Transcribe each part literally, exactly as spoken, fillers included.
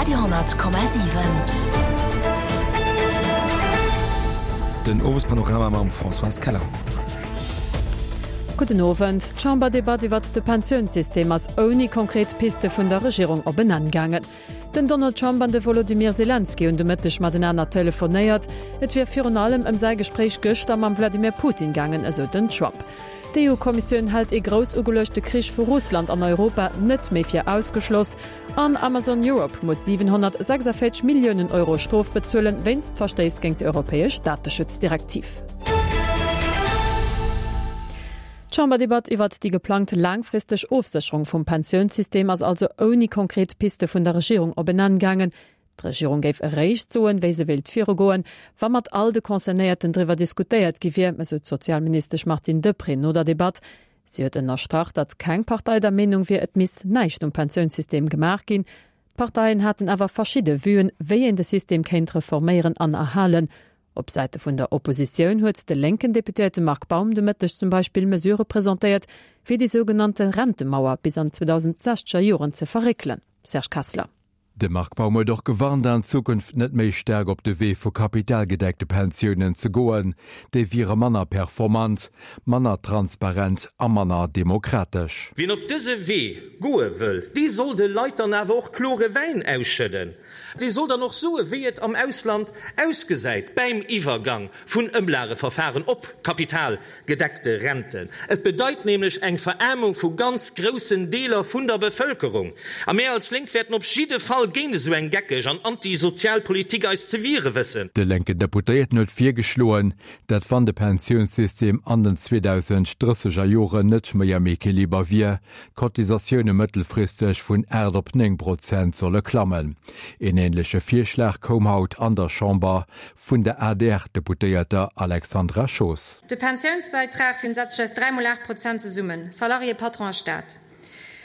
Radio honnert Komma siwen. Den Owespanorama mam Françoise Keller. Gudden Owend. D'Chamberdebatt iwwert de Pensiounssystem ass ouni konkret Piste vun der Regierung op en Enn gaangen. Den Donald Trump an de Wolodymyr Selenskyj hunn de Mëtteg matenaner telefonéiert. Et wier virun allem ëm säi Gespréich gëschter mam Wladimir Putin gaangen, esou den Trump. D'EU-Kommissioun hält ee grouss ugeluechte Krich vu Russland an Europa net méi fir ausgeschloss. An Amazon Europe muss siwenhonnertsechsundvéierzeg Milliounen Euro Strof bezuelen, wéinst Verstéiss géint déi europäesch Dateschutzdirektiv. D'Chamberdebatt iwwert déi geplangt laangfristeg Ofsécherung vum Pensiounssystem ass also ouni konkret Piste vun der Regierung op en Enn gaangen. D'Regierung géif eréischt soen, wéi se wéilt virugoen, wa mat all de Concernéierten driwwer diskutéiert gi wier, esou d'Sozialministesch Martine Deprez no der Debatt. Si huet ënnerstrach, datt keng Partei der Meenung wier, et misst näischt um Pensiounssystem gemaach ginn. D'Parteien haten awer verschidde Vuen, wéi een de System kéint reforméieren an erhalen. Op Säite vun der Oppositioun huet de lénken Deputéierte Marc Baum de Mëtteg zum Beispill Mesurë presentéiert, fir déi sougenannte Rentemauer bis an d'zweedausendsechzeger Joren ze verréckelen. Serge Kessler. De Marc Baum huet och gewarnt, an Zukunft net méi staark op de Wee vu kapitalgedeckte Pensiounen ze goen, déi wiere manner performant, manner transparent a manner demokratesch. Wien op dëse Wee goe wëll, dee soll de Leit dann awer och klore Wäin ausschëdden. Dee soll dann och soe wéi et am Ausland ausgesäit bäim Iwwergang vun Ëmlageverfahren op kapitalgedeckte Renten. Et bedeit nämlech eng Veraarmung vu ganz groussen Deeler vun der Bevëlkerung. A mär als Lénk wäerten op jidde Fall géint esou eng geckeg an antisozial Politik eis ze wiere wëssen. De lénken Deputéierten huet virgeschloen, datt wann de Pensiounssystem an den zweedausend drësseger Joren net méi am Equiliber wier, d'Cotisatioune mëttelfristeg vun aacht op néng Prozent solle klammen. Een änleche Virschlag koum haut an der Chamber vun der A D R-Deputéierter Alexandra Schoos. De Pensiounsbäitrag setzt sech aus dräi mol aacht Prozent zesummen, Salarié, Patron a Staat.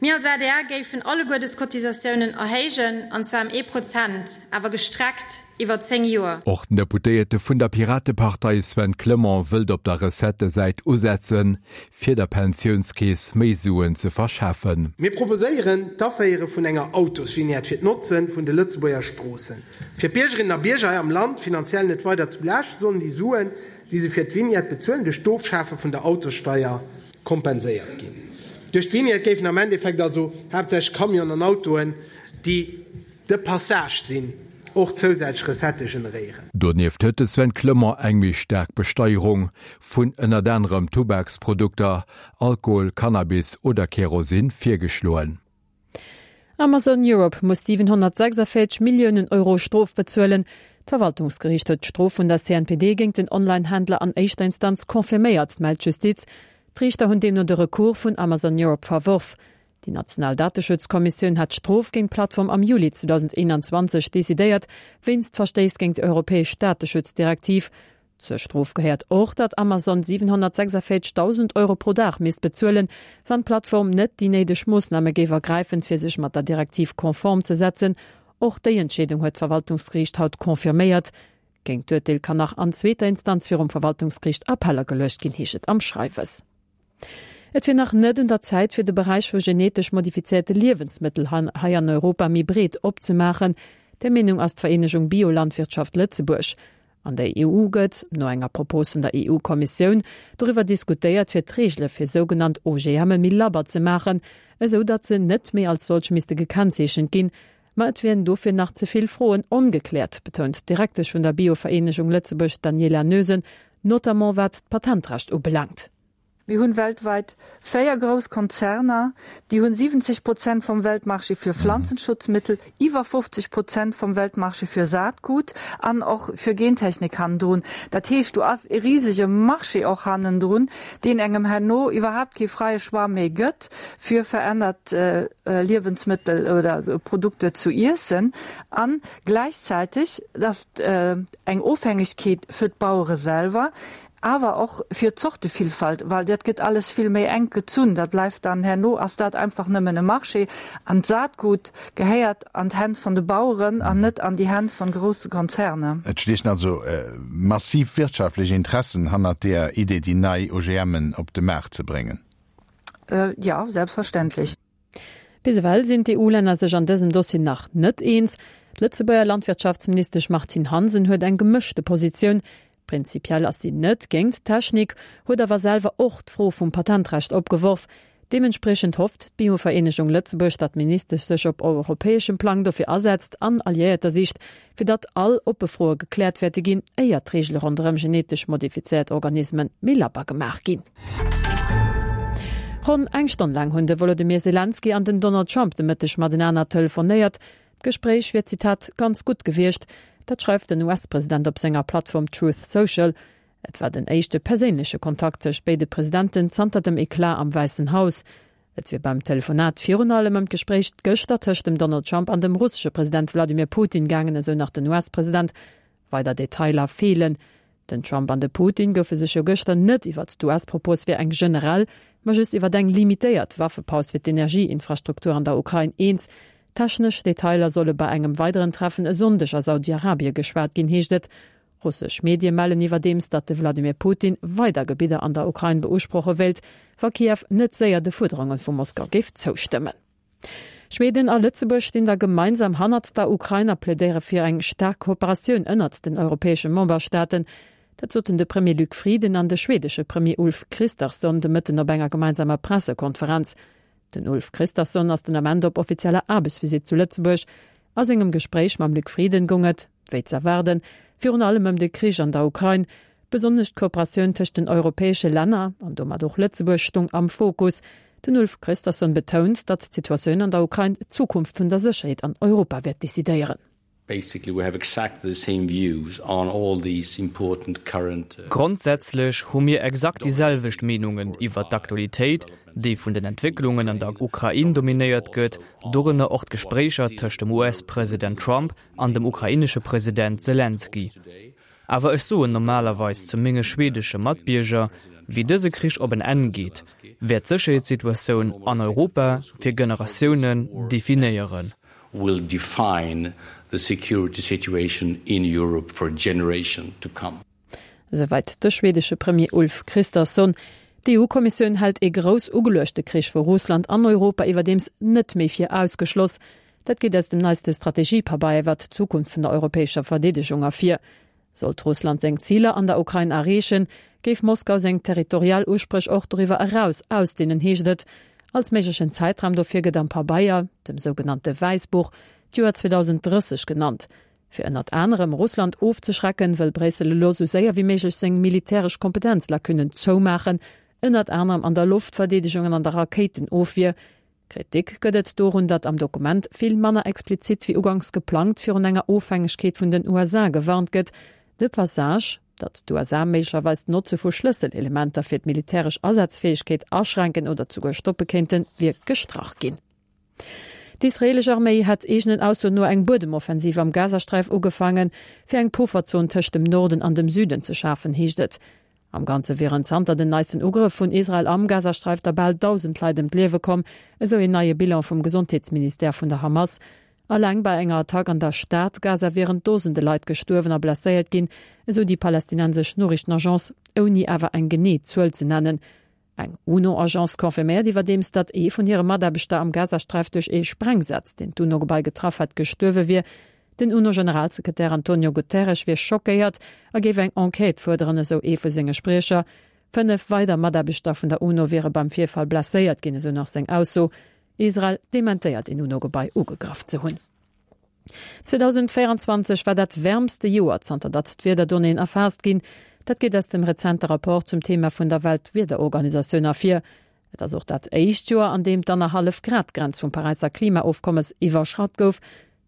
Mir als A D R géifen alleguer dës Cotisatiounen erhéijen, an zwar ëm ee Prozent, awer gestreckt iwwer zéng Joer. Och den Deputéierte vun der Piratepartei Sven Clement wëllt op der Recettësäit usetzen, fir der Pensiounskeess méi Suen ze verschafen. Mir proposéieren d'Aféiere vun enger Autosvignette fir d'Notze vun de Lëtzebuerger Stroossen. Fir d'Biergerinnen a Bierger hei am Land finanziell net weider ze belaaschten, sollen déi Suen, déi se fir d'Vignette bezuelen, duerch d'Ofschafe vun der Autossteier kompenséiert ginn. Duerch d'Vignette géifen am Endeffekt also haaptsächlech Camionen an Autoen, déi de Passage sinn, och zousätzlech Recettë generéieren. Donieft huet de Sven Clement eng méi staark Besteierung vun ënnert anerem Tubaksprodukter, Alkohol, Cannabis oder Kerosin virgeschloen. Amazon Europe muss siwenhonnertsechsundvéierzeg Milliounen Euro Strof bezuelen. D'Verwaltungsgeriicht huet d'Strof vun der C N P D géint den Online-Händler an éischter Instanz confirméiert, mellt d'Justiz. D'Riichter hunn deemno de Recours vun Amazon Europe verworf. Déi national Dateschutzkommissioun hat d'Strof géint d'Plattform am Juli zweedausendeenanzwanzeg decidéiert, wéinst Verstéiss géint d'europäesch Dateschutzdirektiv. Zur Strof gehéiert och, datt Amazon siwenhonnertsechsundvéierzegdausend Euro pro Dag misst bezuelen, wann d'Plattform net déi néideg Moossname géif ergräifen, fir sech mat der Direktiv konform ze setzen. Och déi Entscheedung huet d'Verwaltungsgeriicht haut confirméiert. Géint d'Urteel kann nach an zweeter Instanz virum Verwaltungsgeriicht Appell ageluecht ginn, heescht et am Schreiwes. Et wier nach net un der Zäit fir de Beräich vu genetesch modifizéierte Liewensmëttel hei an Europa méi breet opzemaachen, der Meenung ass d'Vereenegung Biolandwirtschaft Lëtzebuerg. An der E U gëtt, no enger Propos vun der E U-Kommissioun, doriwwer diskutéiert fir d'Reegele fir sougenannt O G M méi labber ze maachen, esou datt se net méi als solch misste gekennzeechent ginn. Ma et wieren dofir nach ze vill Froen ongekläert, betount d'Direktesch vun der Biovereenegung Lëtzebuerg Daniela Noesen, notamment wat d'Patentrecht ubelaangt. Mir hunn weltwäit véier grouss Konzerner, déi hunn siwwenzeg Prozent vum Weltmarché fir Pflanzenschutzmittel, iwwer fofzeg Prozent vum Weltmarché fir Saatgut an och fir Gentechnik hannendrun. Dat heescht, do ass e risege Marché och hannendrun, deen engem herno iwwerhaapt kee fräie Choix méi gëtt, fir verännert Liewensmëttel oder Produkter zu iessen. A gläichzäiteg, dass eng Ofhängegkeet fir d'Bauere selwer, awer och fir d'Zortevillfalt, well dat gëtt alles vill méi enk gezunn, dat bleift dann herno ass dat einfach nëmmen e Marché an d'Saatgut gehéiert an d'Hänn vun de Baueren an net an déi Hänn vun grousse Konzerner. Et stiechen also massiv wirtschaftlech Interessen hannert der Idee, déi nei O G Mën op de Maart ze bréngen. Jo, selbstverständlech. Bis ewell sinn d'EU-Länner sech an dësem Dossier nach net eens. D'Lëtzebuerger Landwirtschaftsministesch Martine Hansen huet eng gemëschte Positioun. Prinzipiell ass si net géint d'Technik, huet awer selwer och d'Fro vum Patentrecht opgeworf. Deementspriechend hofft d'Biovereenegung Lëtzebuerg, datt d'Ministesch sech op europäeschem Plang dofir asetzt an Alliéierter sicht, fir datt all oppe Froe gekläert wäerte ginn, éier d'Reegele ronderëm genetesch modifizéiert Organisme méi labber gemaach ginn. Ronn eng Stonn laang hunn de Wolodymyr Selenskyj an den Donald Trump de Mëtteg matenaner telefonéiert. D'Gespréich wier, Zitat, ganz gutt gewiescht. Dat schreift den US-President op senger Plattform Truth Social. Et war den éischte perséinleche Kontakt tëscht béide Presidenten zanter dem Eclat am Wäissen Haus. Et wier beim Telefonat virun allem ëm d'Gespréich gëschter tëscht dem Donald Trump an dem russesche President Wladimir Putin gaangen, esou nach den US-President. Weider Detailer feelen. Den Trump an de Putin goufe sech jo gëschter net iwwert d'US-Propos fir eng generell, ma just iwwert eng limitéiert Waffepaus fir d'Energieinfrastruktur an der Ukrain eens. Technesch Detailer solle bei engem weideren Treffen e Sonndeg a Saudi-Arabie geschwat ginn, heescht et. Russesch Medie mellen iwwerdeems, datt de Wladimir Putin weider Gebidder an der Ukrain beusproche wéilt, wa Kiew net séier de Fuerderunge vu Moskau géif zoustëmmen. Schweden a Lëtzebuerg stinn da gemeinsam hannert der Ukrain a plädéiere fir eng staark Kooperatioun ënnert den europäesche Memberstaaten. Dat soten de Premier Luc Frieden an de schwedesche Premier Ulf Kristersson de Mëtten op enger gemeinsamer Pressekonferenz. Den Ulf Kristersson ass den Ament op offizieller Aarbechtsvisitt zu Lëtzebuerg. A sengem Gespréich mam Luc Frieden goung et, wéi z'erwaarden, virun allem ëm de Krich an der Ukrain. Besonnesch d'Kooperatioun tëscht den europäesche Länner, an domat och Lëtzebuerg, stung am Fokus. Den Ulf Kristersson betount, datt d'Situatioun an der Ukrain d'Zukunft vun der Sécherheet an Europa wäert decidéieren. Grondsätzlech hu mir exakt déi selwecht Meenungen iwwert d'Aktualitéit, déi vun den Entwécklungen an der Ukrain dominéiert gëtt, dorënner och d'Gespréicher tëscht dem US-President Trump an dem ukrainesche President Selenskyj. Awer ech soen normalerweis zu menge schwedesche Matbierger, Wéi dëse Krich op en Enn geet, wäert d'Sécherheetssituatioun an Europa fir Generatiounen definéieren. will define the security situation in Europe for generation to come. Esouwäit de schwedesche Premier Ulf Kristersson. D'EU-Kommissioun hält ee grouss ugeluechte Krich vu Russland an Europa iwwerdeems net méi fir ausgeschloss. Dat geet aus dem neiste Strategiepabeier iwwert d'Zukunft vun der europäescher Verdeedegung ervir. Sollt Russland seng Ziler an der Ukrain erreechen, géif Moskau seng territorial Uspréch och doriwwer eraus ausdehnen, heescht et. Als méiglechen Zäitraum dofir gëtt am Pabeier, dem sougenannte Wäissbuch, d'Joer zweedausenddrësseg genannt. Fir ënnert anerem Russland ofzeschrecken, wëll Bréissel elo sou séier wéi méiglech seng militäresch Kompetenzlacunnen zoumaachen, ënnert anerem an der Loftverdeedegung an an der Rakéitenofwier. Kritik gëtt et dorun, datt am Dokument vill manner explizit wéi uganks geplangt virun enger Ofhängegkeet vun den U S A gewarnt gëtt. De Passage, datt d'U S A méiglecherweis d'Notze vu Schlësselelementer fir d'militäresch Asazfäegkeet aschränken oder souguer stoppe kéinten, wier gestrach ginn. D'israeelesch Arméi hätt eegenen Aussoen no eng Buedemoffensiv am Gazasträif ugefaangen, fir eng Pufferzon tëscht dem Norden an dem Süden ze schafen, heescht et. Am Ganze wieren zanter den neisten Ugrëff vun Israel am Gazasträif der bal dausend Leit ëm d'Liewe komm, esou een neie Bilan vum Gesondheetsministère vun der Hamas. Alleng bei enger Attack an der Stad Gaza wieren Dosende Leit gestuerwen a blesséiert ginn, esou déi palästinensesch Noriichtenagence, ouni awer eng genee Zuel ze nennen. Eng UNO-Agence confirméiert iwwerdeems, datt ee vun hire Mataarbechter am Gazasträif duerch ee Sprengsaz, deen d'UNO-Gebai getraff hat, gestuerwe wier. Den UNO-Generalsekretär Antonio Guterres wier schockéiert a géif eng Enquête fuerderen, esou ee vu senge Spriecher. Fënnef weider Mataarbechter vun der UNO wiere beim Virfall blesséiert ginn, esou nach seng Ausso. Israel dementéiert, een UNO-Gebai ugegraff ze hunn. zweedausenvéieranzwanzeg war dat wäermste Joer, zanter datt d'Wiederdonnéeën erfaasst ginn. Dat geet aus dem rezente Rapport zum Thema vun der Weltwiederorganisatioun ervir. Et ass och dat éischt Joer, an deem d'Annerhallef-Grad-Grenz vum Paräisser Klimaofkommes iwwerschratt gouf.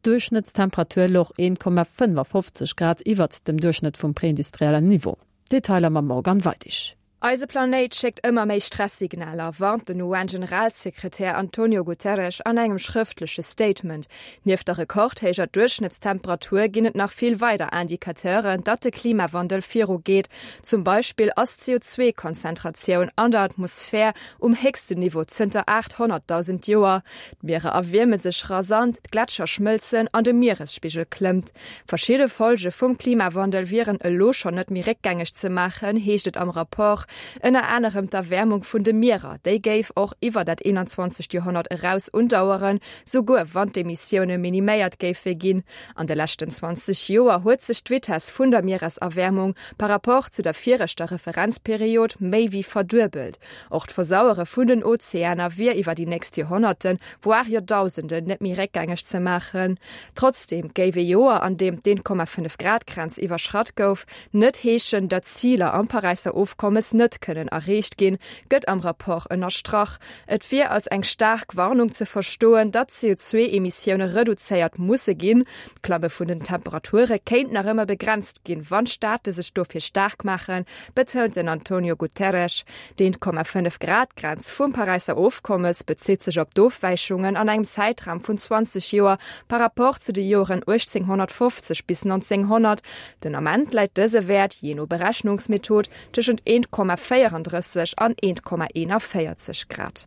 D'Duerchschnëttstemperatur louch een Komma fënnefafofzeg Grad iwwert dem Duerchschnëtt vum preindustriellen Niveau. Detailer mam Morgane Weidig. Eise Planéit schéckt ëmmer méi Stress-Signaler, warnt den U N-Generalsekretär Antonio Guterres an engem schrëftleche Statement. Nieft der rekordhéijer Duerchschnëttstemperatur ginn et nach vill weider Indicateuren, datt de Klimawandel viru geet. Zum Beispill ass d'C O zwei Konzentratioun an der Atmosphär um héchsten Niveau zënter aathonnertdausend Joer. D'Mierer erwierme sech rasant, d'Gletscher schmëlzen an de Mieresspigel klëmmt. Verschidde Folge vum Klimawandel wieren elo schonn net méi réckgängeg ze maachen, heescht et am Rapport. Ënner anerem d'Erwäermung vun de Mierer, déi géif och iwwer dat eenanzwanzegt Joerhonnert eraus undaueren, souguer wann d'Emissioune miniméiert géife ginn. An de leschten zwanzeg Joer huet sech d'Vitess vun der Miereserwäermung par rapport zu der viregter Referenzperiod méi wéi verduebelt. Och d'Versauere vun den Ozeaner wier iwwer déi nächst Joerhonnerten, voire Joerdausenden net méi réckgängeg ze maachen. Trotzdeem géif ee Joer, an deem d'Eent Komma fënnef Grad Grenz iwwerschratt gouf, net heeschen, datt d'Ziler am Paräisser Ofkommes net kënnen erreecht ginn, gëtt am Rapport ënnerstrach. Et wier als eng staark Warnung ze verstoen, datt d'C O zwee Emissioune reduzéiert musse ginn. D'Klamme vun den Temperature kéint nach ëmmer begrenzt ginn, wann d'Staate sech dofir staark maachen, betount den Antonio Guterres. D'Eent Komma fënnef Grad Grenz vum Paräisser Ofkommes bezitt sech op d'Ofwäichungen an engem Zäitraum vun zwanzeg Joer par rapport zu de Joren uechtzénghonnertfofzeg bis nonzénghonnert. Den Ament läit dëse Wäert, jee no Berechnungsmethod, tëschent eent Komma véierandrësseg an eent Komma eenavéierzeg Grad.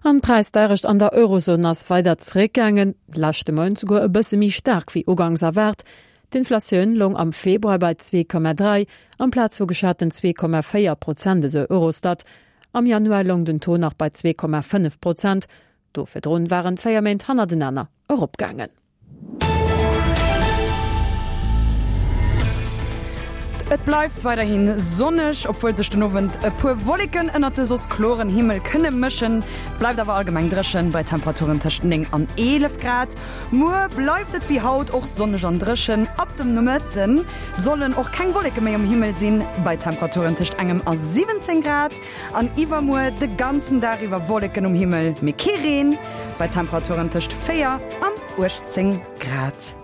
An d'Präisdeierecht an der Eurozon ass weider zeréckgaangen, leschte Mount souguer e bësse méi staark wéi ugangs erwaart. D'Inflatioun loung am Februar bei zwee Komma dräi amplaz vu geschaten zwee Komma véier Prozent, esou Eurostat. Am Januar loung den Taux nach bei zwee Komma fënnef Prozent. Do virdrun waren et véier Méint hannertenaner eropgaangen. Et bleift weiderhi sonneg, obwuel sech den Owend e puer Wolleken ënnert de soss kloren Himmel kënne mëschen. Et bleift awer allgemeng dréchen, bei Temperaturen tëscht néng an eelef Grad. Muer bleift et wéi haut och sonneg an dréchen, ab dem Nomëtte sollen och keng Wolleke méi um Himmel sinn, bei Temperaturen tëscht engem a siwwenzéng Grad. An iwwermuer de ganzen Dag iwwer Wolleken um Himmel, mee kee Reen, bei Temperaturen tëscht véier an uechtzéng Grad.